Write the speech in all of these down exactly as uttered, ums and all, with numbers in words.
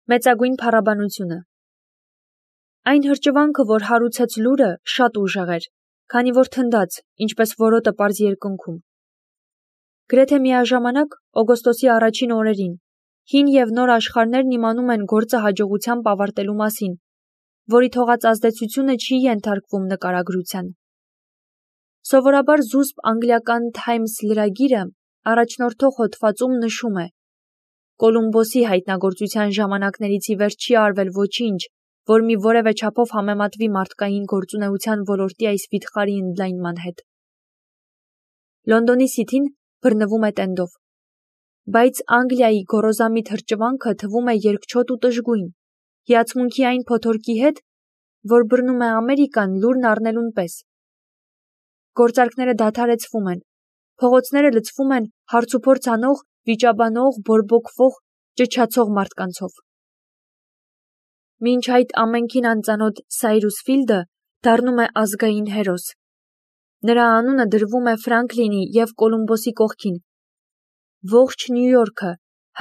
Մեծագույն փառաբանությունը։ Այն հրճվանքը, որ հարուցեց լուրը, շատ ուժեղ էր, քանի որ թնդաց, ինչպես որոտը պարզ երկնքում։ Գրեթե միաժամանակ օգոստոսի առաջին օրերին հին և նոր աշխարհներն իմանում են գործը հաջողությամբ ավարտելու մասին, որի թողած ազդեցությունը չի ենթարկվում նկարագրության։ Սովորաբար զուսպ անգլիական Times լրագիրը առաջնորդող հոդվածում նշում է. Կոլումբոսի հայտնագործության ժամանակներից ի վեր չի արվել ոչինչ, որ մի որևէ չափով համեմատվի մարդկային գործունեության ոլորտի այս վիթխարի ընդլայնման հետ։ Լոնդոնի Սիթին բռնվում է տենդով, բայց Անգլիայի գոռոզամիտ հրճվանքը թվում է երկչոտ ու տժգույն, հիացմունքի այն փոթորկի հետ, որ բռնում է Ամերիկան լուրն առնելուն պես։ Գործարքները դադարեցվում են, փողոցները լցվում են հարցուփորձ անող, վիճաբանող, բորբոքվող, ճչացող մարդկանցով։ Մինչ այդ ամենքին անծանոթ Սայրուս Ֆիլդը դառնում է ազգային հերոս։ Նրա անունը դրվում է Ֆրանկլինի և Կոլումբոսի կողքին։ Ողջ Նյու Յորքը,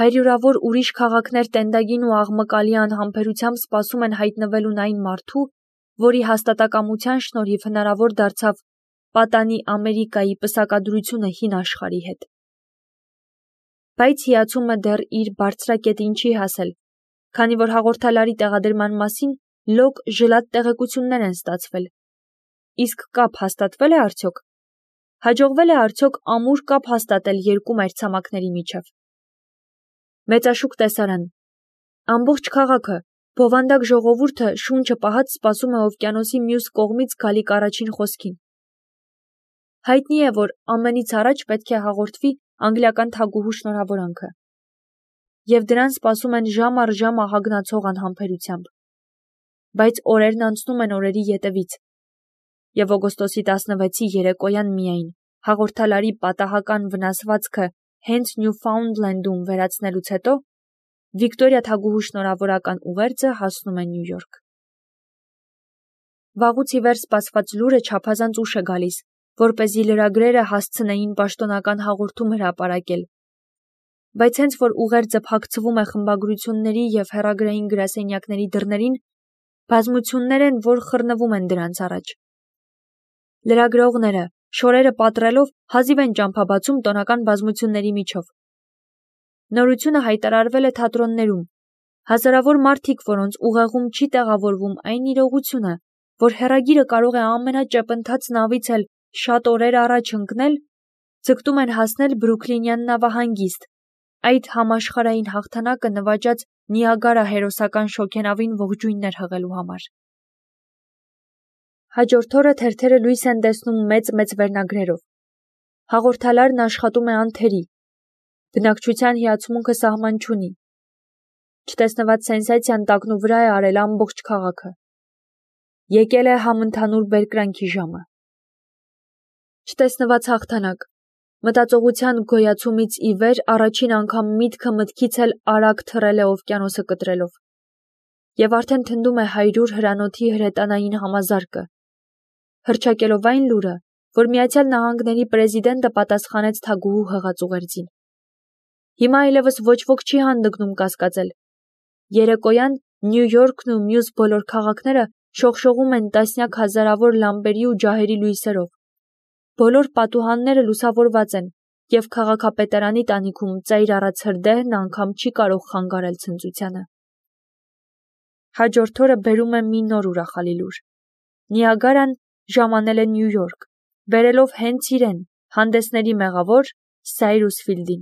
հարյուրավոր ուրիշ քաղաքներ տենդագին ու աղմկալի անհամբերությամբ սպասում են հայտնվելուն այն մարդու, որի հաստատակամության շնորհիվ հնարավոր դարձավ պատանի Ամերիկայի պսակադրությունը հին աշխարհի հետ։ Բայց հիացումը դեռ իր բարձրակետին չի հասել, քանի որ հաղորդալարի տեղադրման մասին լոկ ժլատ տեղեկություններ են ստացվել։ Իսկ կապ հաստատվե՞լ է արդյոք։ Հաջողվել է արդյոք ամուր կապ հաստատել երկու մայրցամաքների միջև։ Մեծաշուկ տեսարան։ Ամբողջ քաղաքը, բովանդակ ժողովուրդը շունչը պահած սպասում է օվկիանոսի մյուս կողմից գալիք առաջին խոսքին։ Հայտնի է, որ ամենից առաջ պետք է հաղորդվի անգլիական թագուհու շնորհավորանքը։ Եվ դրան սպասում են ժամ առ ժամ ահագնացող անհամբերությամբ։ Բայց օրերն անցնում են օրերի ետևից։ Եվ օգոստոսի տասնվեցի երեկոյան միայն հաղորդալարի պատահական վնասվածքը հենց Նյուֆաունդլենդում վերացնելուց հետո Վիկտորիա թագուհու շնորհավորական ուղերձը հասնում է Նյու Յորք։ Վաղուց ի վեր սպասված լուրը չափազանց ուշ է գալիս, որպեսզի լրագրերը հասցնեին պաշտոնական հաղորդում հրապարակել։ Բայց հենց որ ուղերձը փակցվում է խմբագրությունների և հեռագրային գրասենյակների դռներին, բազմություններ են, որ խռնվում են դրանց առաջ։ Լրագրողները, շորերը պատռելով, հազիվ են ճամփա բացում տոնական բազմությունների միջով։ Նորությունը հայտարարվել է թատրոններում։ Հազարավոր մարդիկ, որոնց ուղեղում չի տեղավորվում այն իրողությունը, որ հեռագիրը կարող է ամենաճեպընթաց նավից էլ շատ օրեր առաջ ընկնել, ձգտում են հասնել Բրուքլինյան նավահանգիստ, այդ համաշխարհային հաղթանակը նվաճած Նիագարա հերոսական շոգենավին ողջույններ հղելու համար։ Հաջորդ օրը թերթերը լույս են տեսնում մեծ-մեծ վերնագրերով։ Հաղորդալարն աշխատում է անթերի։ Բնակչության հիացմունքը սահման չունի։ Չտեսնված սենսացիան տակնուվրա է արել ամբողջ քաղաքը։ Եկել է համընդհանուր բերկրանքի ժամը։ Չտեսնված հաղթանակ։ Մտածողության գոյացումից ի վեր առաջին անգամ միտքը մտքից էլ արագ թռել է օվկիանոսը կտրելով։ Եվ արդեն թնդում է հայրուր հրանոթի հրետանային համազարկը, հռչակելով այն լուրը, որ Միացյալ Նահանգների պրեզիդենտը պատասխանեց թագուհու հղած ուղերձին։ Հիմա այլևս ոչ ոք չի հանդգնում կասկածել։ Երեկոյան Նյու Յորքն ու մյուս բոլոր քաղաքները շողշողում են տասնյակ հազարավոր լամպերի ու ջահերի լույսերով։ Բոլոր պատուհանները լուսավորված են, և քաղաքապետարանի տանիքում ծայր առած հրդեհն անգամ չի կարող խանգարել ցնծությանը։ Հաջորդ օրը բերում է մի նոր ուրախալի լուր։ Նիագարան ժամանել է Նյու Յորք, բերելով հենց իրեն, հանդեսների մեղավոր Սայրուս Ֆիլդին։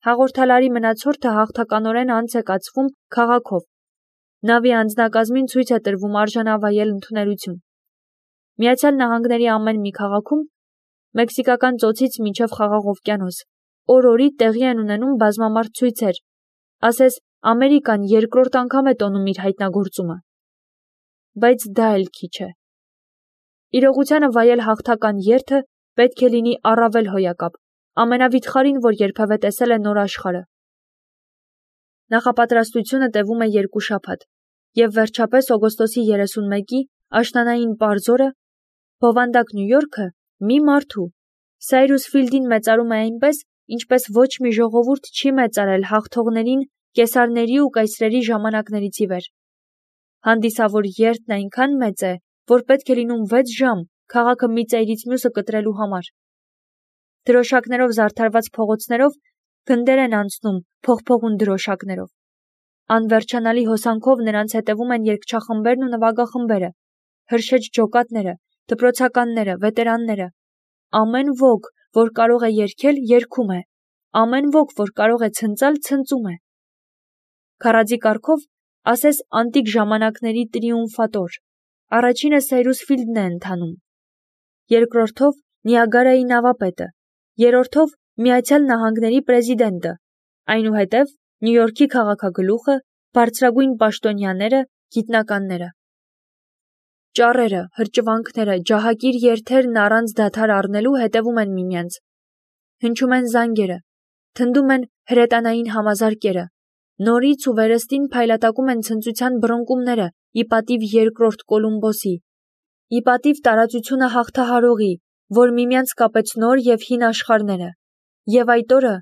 Հաղորդալարի մնացորդը հաղթականորեն անց է կացվում քաղաքով։ Նավի անձնակազմին ցույց է տրվում արժանավայել ընդունելություն։ Միացյալ Նահանգների ամեն մի քաղաքում, Մեքսիկական ծոցից մինչև Խաղաղ օվկիանոս, օր-օրի տեղի են ունենում բազմամարդ ցույցեր, ասես Ամերիկան երկրորդ անգամ է տոնում իր հայտնագործումը։ Բայց դա էլ քիչ է։ Իրողությանը վայել հաղթական երթը պետք է լինի առավել հոյակապ, ամենավիթխարին, որ երբևէ տեսել է նոր աշխարհը։ Նախապատրաստությունը տևում է երկու շաբաթ, և վերջապես օգոստոսի երեսունմեկի աշնանային պարզ օրը բովանդակ Նյու Յորքը մի մարդու, Սայրուս Ֆիլդին մեծարում է այնպես, ինչպես ոչ մի ժողովուրդ չի մեծարել հաղթողներին կեսարների ու կայսրերի ժամանակներից ի վեր։ Հանդիսավոր երթն այնքան մեծ է, որ պետք է լինում վեց ժամ քաղաքը մի ծայրից մյուսը կտրելու համար։ Դրոշակներով զարդարված փողոցներով գնդեր են անցնում փողփողուն դրոշակներով։ Անվերջանալի հոսանքով նրանց հետևում են երգչախմբերն ու նվագախմբերը, հրշեջ ջոկատները, դպրոցականները, վետերանները։ Ամեն ոք, որ կարող է երգել, երգում է, ամեն ոք, որ կարող է ցնծալ, ցնծում է։ Քարաձի կարգով ասես անտիկ ժամանակների տրիումֆատոր։ Առաջինը Սեյրուսֆիլդն է ընթանում, երկրորդով Նիագարայի նավապետը, երրորդով Միացյալ Նահանգների պրեզիդենտը, այնուհետև Նյու Յորքի քաղաքագլուխը, բարձրագույն պաշտոնյաները, գիտնականները։ Ճառերը, հրճվանքները, ջահակիր երթերն առանց դադար առնելու հետևում են միմյանց։ Հնչում են զանգերը, թնդում են հրետանային համազարկերը, նորից ու վերստին փայլատակում են ցնծության բռնկումները ի պատիվ երկրորդ Կոլումբոսի, ի պատիվ տարածությունը հաղթահարողի, որ միմյանց կապեց նոր և հին աշխարհները, և այդ օրը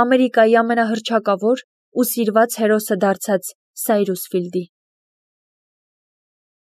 Ամերիկայի ամենահռչակավոր ու սիրված հերոսը դարձած Սայրուսֆիլդի։